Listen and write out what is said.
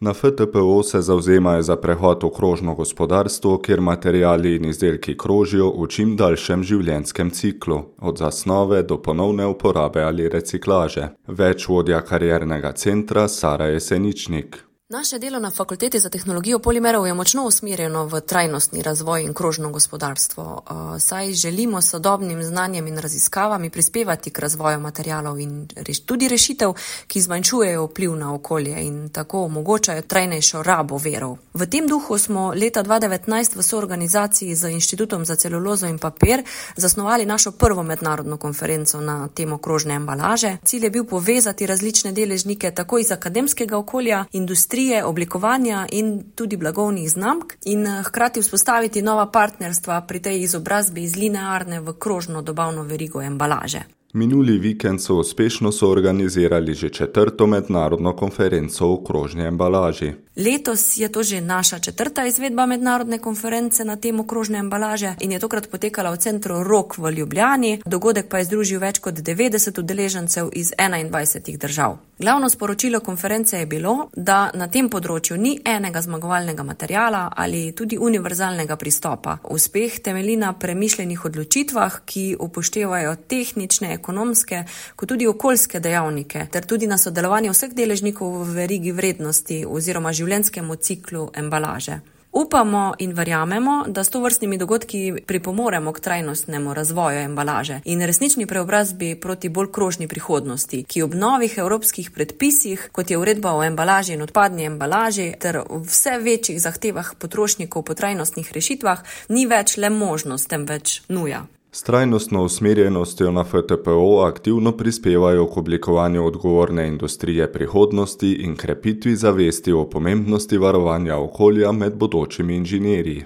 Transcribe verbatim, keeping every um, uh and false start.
Na F T P O se zavzemajo za prehod v krožno gospodarstvo, kjer materiali in izdelki krožijo v čim daljšem življenjskem ciklu, od zasnove do ponovne uporabe ali reciklaže. Več vodja kariernega centra Sara Jeseničnik. Naše delo na Fakulteti za tehnologijo polimerov je močno usmerjeno v trajnostni razvoj in krožno gospodarstvo, saj želimo s sodobnim znanjem in raziskavami prispevati k razvoju materialov in tudi rešitev, ki zmanjšujejo vpliv na okolje in tako omogočajo trajnejšo rabo virov. V tem duhu smo leta dva tisoč devetnajst v soorganizaciji z Inštitutom za celulozo in papir zasnovali našo prvo mednarodno konferenco na temo krožne embalaže. Cilj je bil povezati različne deležnike tako iz akademskega okolja, industrije, oblikovanja in tudi blagovnih znamk in hkrati vzpostaviti nova partnerstva pri tej izobrazbi iz linearne v krožno dobavno verigo embalaže. Minuli vikend so uspešno soorganizirali že četrto mednarodno konferenco o krožni embalaži. Letos je to že naša četrta izvedba mednarodne konference na temo krožne embalaže in je tokrat potekala v centru Rok v Ljubljani. Dogodek pa je združil več kot devetdeset udeležencev iz enaindvajsetih držav. Glavno sporočilo konference je bilo, da na tem področju ni enega zmagovalnega materiala ali tudi univerzalnega pristopa. Uspeh temelji na premišljenih odločitvah, ki upoštevajo tehnične, ekonomske, kot tudi okoljske dejavnike, ter tudi na sodelovanje vseh deležnikov v verigi vrednosti oziroma življenjskemu ciklu embalaže. Upamo in verjamemo, da s tovrstnimi dogodki pripomoremo k trajnostnemu razvoju embalaže in resnični preobrazbi proti bolj krožni prihodnosti, ki ob novih evropskih predpisih, kot je uredba o embalaži in odpadni embalaži, ter vse večjih zahtevah potrošnikov po trajnostnih rešitvah, ni več le možnost, temveč nuja. S trajnostno usmerjenostjo na F T P O aktivno prispevajo k oblikovanju odgovorne industrije prihodnosti in krepitvi zavesti o pomembnosti varovanja okolja med bodočimi inženirji.